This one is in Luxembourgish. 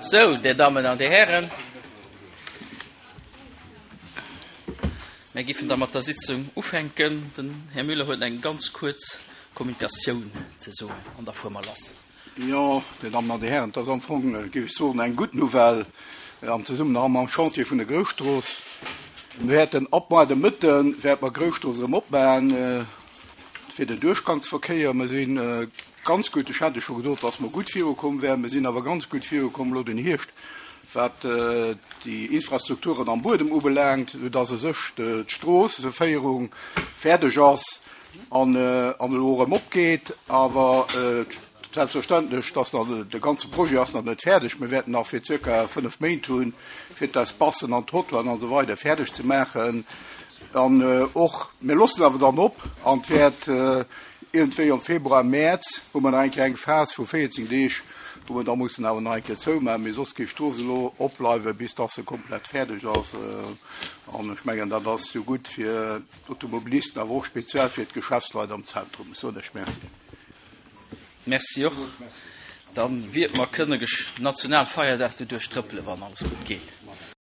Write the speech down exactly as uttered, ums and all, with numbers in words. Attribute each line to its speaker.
Speaker 1: Sou, Dir Dammen an Dir Hären, mir giffen da mat der Sitzung ufänken. Den Här Müller huet eng ganz kuerz Kommunikatioun ze soen an da fuere mer lass.
Speaker 2: Jo, Dir Dammen an Dir Hären, et ass am Fong, géif ech soen, eng gutt Nouvelle am Zesummenhang mam Chantier vun der Grousstrooss. Mir wäerten ab muer de Mëtte wäerte mer d'Grousstrooss erëm opmachen fir den Duerchgangsverkéier. Mir si ganz gutt, ech hat jo scho gesot, dass mer gutt virukomm wären, mir sinn awer ganz gutt virukomm elo den Hierscht, wat déi Infrastrukturen am Buedem ubelaangt, soudass u sech d'Stroosseféierung fäerdeg ass an elo erëm opgeet. Awer selbstverständlech, dass nach de ganze Projet ass nach net fäerdeg. Mir wäerten nach fir zirka fënnef Méint hunn, fir d'Espacen an d'Trottoiren an esou weider fäerdeg ze maachen. An och, mir loossen awer dann op an et wäert iergendwéi am Februar, Mäerz hu mer nach eng Kéier eng Phas vu véierzéng Deeg, wou mer da mussen awer nach eng Kéier zoumaachen, mee soss géif d'Strooss elo opbleiwen, bis dass se komplett fäerdeg ass. An ech mengen, dat ass jo gutt fir d'Automobilisten, awer och speziell fir d'Geschäftsleit am Zentrum. Ech soen lech Merci.
Speaker 1: Merci och. Dann wiert mer kënne Nationalfeierdag doduerch trëppelen, wann alles gutt geet.